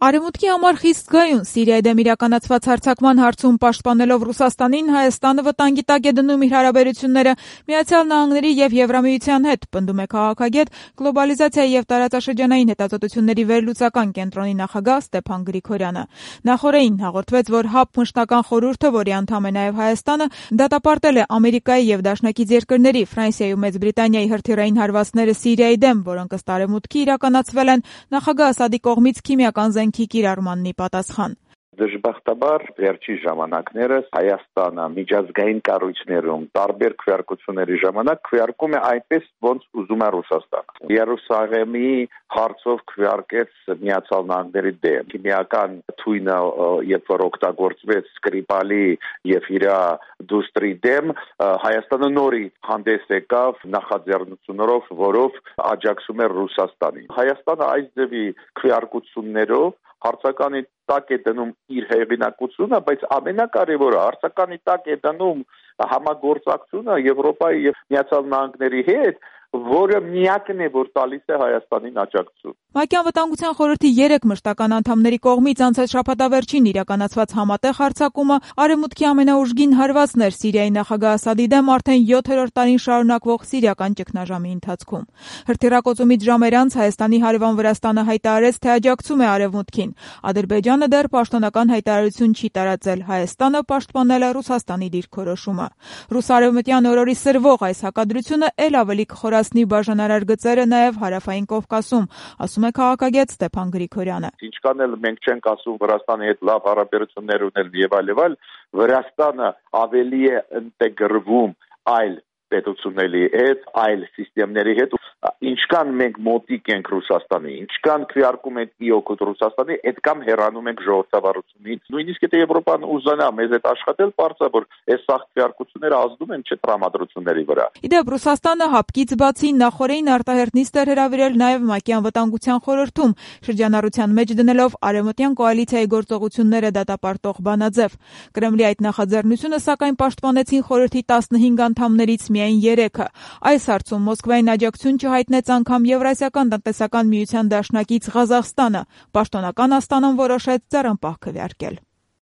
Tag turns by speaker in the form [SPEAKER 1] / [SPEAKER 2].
[SPEAKER 1] Արևմուտքի համար խիստ գայուն Սիրիայի դեմ իրականացված հարձակման հարցում պաշտպանելով Ռուսաստանին, Հայաստանը վտանգի տակ է դնում իր հարաբերությունները Միացյալ Նահանգների եւ Եվրամիության հետ, պնդում է քաղաքագետ, գլոբալիզացիայի եւ տարածաշրջանային հետազոտությունների վերլուծական կենտրոնի նախագահ Ստեփան Գրիգորյանը։ Նախորդին հաղորդվեց, որ ՀԱՊ մշտական խորհուրդը, որի անդամ է նաեւ Հայաստանը, դատապարտել է Ամերիկայի եւ դաշնակից երկրների Ֆրանսիայի ու Մեծ Բրիտանիայի հրթիռային հարվածները Սիրիայի դեմ, որոնք ըստ Արևմուտքի իրականացվել են նախագահ Ասադի կողմից քիմիական զենքի կիրառմանն ի պատասխան։
[SPEAKER 2] Դժբախտաբար վերջի ժամանակներս Հայաստանը միջազգային կառույցներում տարբեր քվեարկությունների ժամանակ քվեարկում է այնպես, ոնց ուզում է Ռուսաստանը։ Երուսաղեմի հարցով քվեարկեց Միացյալ Նահանգների դեմ։ Քիմիական թույնը, երբ որ օգտագործվեց Սկրիպալի եւ իր դուստրի դեմ, Հայաստանը նորից հանդես եկավ նախաձեռնություններով, որով աջակցում է Ռուսաստանին։ Հայաստանը այս ձևի քվեարկություններով հարցականի տակ է դնում իր հեղինակությունը, բայց ամենակարևորը հարցականի տակ է դնում համագործակցությունը Եվրոպայի եւ Միացյալ Նահանգների հետ, որը միակն է, որ տալիս է Հայաստանին աջակցություն։
[SPEAKER 1] ՄԱԿ-ի անվտանգության խորհրդի 3 մշտական անդամների կողմից անցած շաբաթավերջին իրականացված համատեղ հարձակումը Արևմուտքի ամենաուժգին հարվածն էր Սիրիայի նախագահ Ասադի դեմ արդեն 7-րդ տարին շարունակվող սիրիական ճգնաժամի ընթացքում։ Հրթիռակոծումից ժամեր անց Հայաստանի հարևան Վրաստանը հայտարարեց, թե աջակցում է Արևմուտքին։ Ադրբեջանը դեռ պաշտոնական հայտարարություն չի տարածել, Հայաստանը պաշտպանել է Ռուսաստանի դիրքորոշումը։ Ռուս-արևմտյան օրորի սրվող այս հակադրությունը ել ավելի կխորացնի բաժանարար գծերը նաև հարավային Կովկասում, ասում է քաղաքագետ Ստեփան Գրիգորյանը։
[SPEAKER 2] Ինչքան էլ մենք չենք ասում Վրաստանի հետ լավ հարաբերություններ ունել եւ այլ, Վրաստանը ավելի է ինտեգրվում այլ պետությունների հետ, այլ համակարգերի հետ, ինչքան մենք մոտիկ ենք Ռուսաստանի, ինչքան քվեարկում ենք իօգուտ Ռուսաստանի, այդքան հեռանում ենք ժողովրդավարությունից։ Նույնիսկ եթե Եվրոպան ուզենա մեզ հետ աշխատել, բարձր որ այս սաղ քվեարկությունները ազդում են չտրամադրությունների վրա։
[SPEAKER 1] Իդեպ Ռուսաստանը ՀԱՊԿ-ից բացի նախորդին արտահերտ նիստ էր հրավիրել նաև ՄԱԿ-ի անվտանգության խորհրդում, շրջանառության մեջ դնելով արևմտյան կոալիցիայի գործողությունները դատապարտող բանաձև։ Կրեմլի այդ նախաձեռնությունը սակայն պաշտպանեցին խորհրդի 15 անդամներից միայն 3-ը։ Այս հարցում Մոսկվային աջակցություն չհայտնեց անգամ Եվրասիական տնտեսական միության դաշնակից Ղազախստանը։ Պաշտոնական Աստանան որոշեց ձեռնպահ քվեարկել։